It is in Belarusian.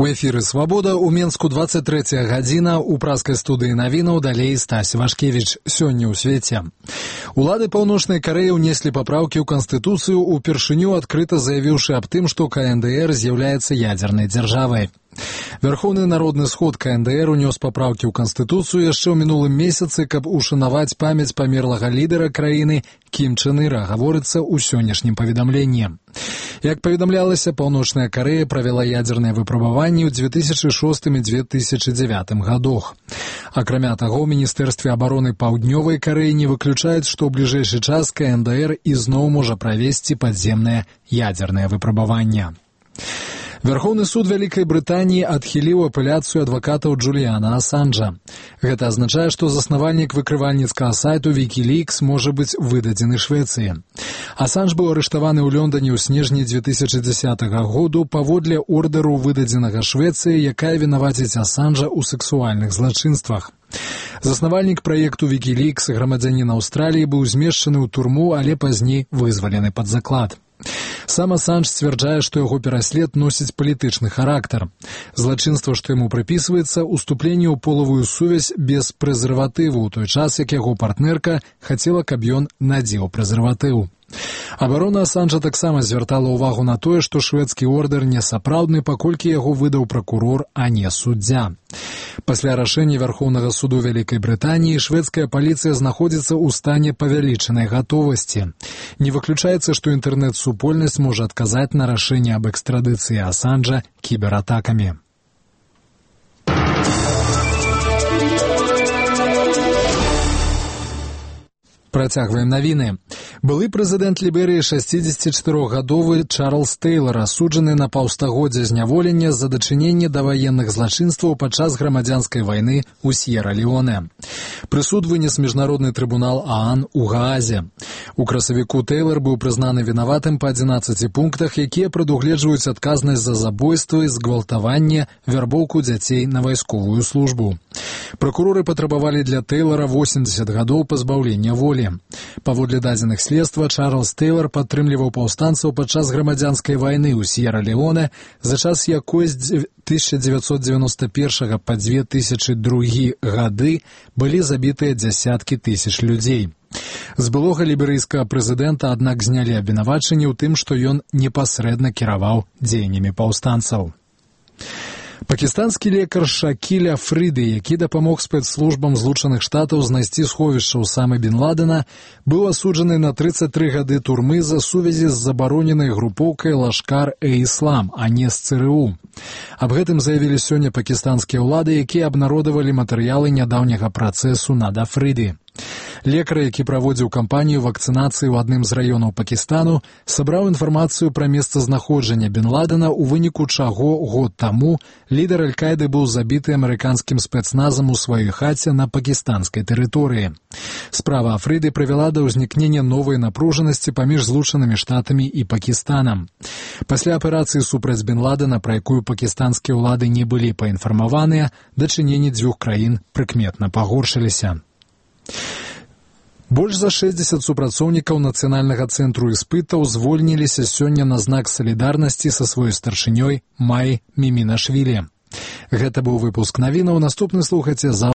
У эфіры «Свабода» у Менску 23 гадзіна, у праскай студыі навінаў далей Стась Вашкевіч. Сёння ў свеце. Улады Паўночнай Карэі ўнеслі папраўкі ў Канстытуцыю, упершыню адкрыта заявіўшы аб тым, што КНДР з'яўляецца ядзернай дзяржавай. Верховны народны сход КНДР унёс папраўкі ў Канстытуцыю яшчэ ў мінулым месяцы, каб ушанаваць памяць памерлага лідара краіны Кім Чен Іра, гаворыцца ў сённяшнім паведамленні. Як паведамлялася, Паўночная Карэя правяла ядзерныя выпрабаванні ў 2006 і 2009 гадах. Акрамя таго, ў Міністэрстве абароны Паўднёвай Карэі не выключаюць, што ў бліжэйшы час КНДР ізноў можа правесці падземнае ядзернае выпрабаванне. Верховны суд Вялікай Брытаніі адхіліў апеляцыю адвакатаў Джуліяна Асанжа. Гэта азначае, што заснавальнік выкрывальніцкага сайту Wikileaks можа быць выдадзены Швецыі. Асанж быў арыштаваны ў Лондоне ў снежні 2010 году паводле ордэру, выдадзенага Швецыі, якая вінаваціць Асанжа ў сексуальных злачынствах. Заснавальнік праекту Wikileaks, грамадзянін Аўстраліі, быў змешчаны ў турму, але пазней вызвалены пад заклад. Сам Асанж сцвярджае, што яго пераслед носіць палітычны характар. Злачынства, што яму прыпісваецца, уступленне ў полавую сувязь без прэзерватыву, ў той час, як яго партнерка хацела, каб ён надзеў прэзерватыў. Абарона Асанжа таксама звяртала ўвагу на тое, што шведскі ордэр не сапраўдны, паколькі яго выдаў пракурор, а не суддзя. Пасля рашэння Верховнага суду Вялікай Брытаніі шведская паліцыя знаходзіцца ў стане павялічанай гатовасці. Не выключаецца, што інтэрнэт-супольнасць можа адказаць на рашэнне аб экстрадыцыі Асанжа кібератакамі. Працягваем навіны. Былы прэзідэнт Ліберыі 64-гадовы Чарльз Тэйлар асуджаны на паўстагоддзя зняволення за дачыненне да ваенных злачынстваў падчас грамадзянскай вайны ў С'ера-Леоне. Прысуд вынес міжнародны трыбунал ААН у Гаазе. У красавіку Тэйлар быў прызнаны вінаватым па 11 пунктах, якія прадугледжваюць адказнасць за забойствы, згвалтаванне, вярбоўку дзяцей на вайсковую службу. Пракуроры патрабавалі для Тэйлара 80 гадоў пазбаўлення волі. Паводле дадзеных следства, Чарльз Тэйлар падтрымліваў паўстанцаў падчас грамадзянскай вайны ў С'ера-Леоне, за час якой з 1991 па 2002 гады былі забітыя дзясяткі тысяч людзей. З былога ліберыйскага прэзідэнта, аднак, знялі абвінавачанні ў тым, што ён непасрэдна кіраваў дзеяннямі паўстанцаў. Пакістанскі лекар Шакіль Афрыды, які дапамог спецслужбам Злучаных Штатаў знайсці сховішча Усамы бін Ладена, быў асуджаны на 33 гады турмы за сувязі з забароненай групоўкай Лашкар-э-Іслам, а не з ЦРУ. Аб гэтым заявілі сёння пакістанскія ўлады, якія абнародавалі матэрыялы нядаўняга працэсу над Афрыды. Лекар, які праводзіў кампанію вакцынацыі ў адным з раёнаў Пакістану, сабраў інфармацыю пра месцазнаходжанне бін Ладена, у выніку чаго год таму лідар Аль-Каіды быў забіты амерыканскім спецназам у сваёй хаце на пакістанскай тэрыторыі. Справа Афрыды прывяла да ўзнікнення новай напружанасці паміж Злучанымі Штатамі і Пакістанам. Пасля аперацыі супраць бін Ладена, пра якую пакістанскія ўлады не былі паінфармаваныя, дачыненні дзвюх краін прыкметна пагоршыліся. Больш за 60 супрацоўнікаў Нацыянальнага цэнтру іспытаў звольніліся сёння на знак салідарнасці са сваёй старшынёй Май Мімінашвілі. Гэта быў выпуск навінаў. Наступны слухайце завтра.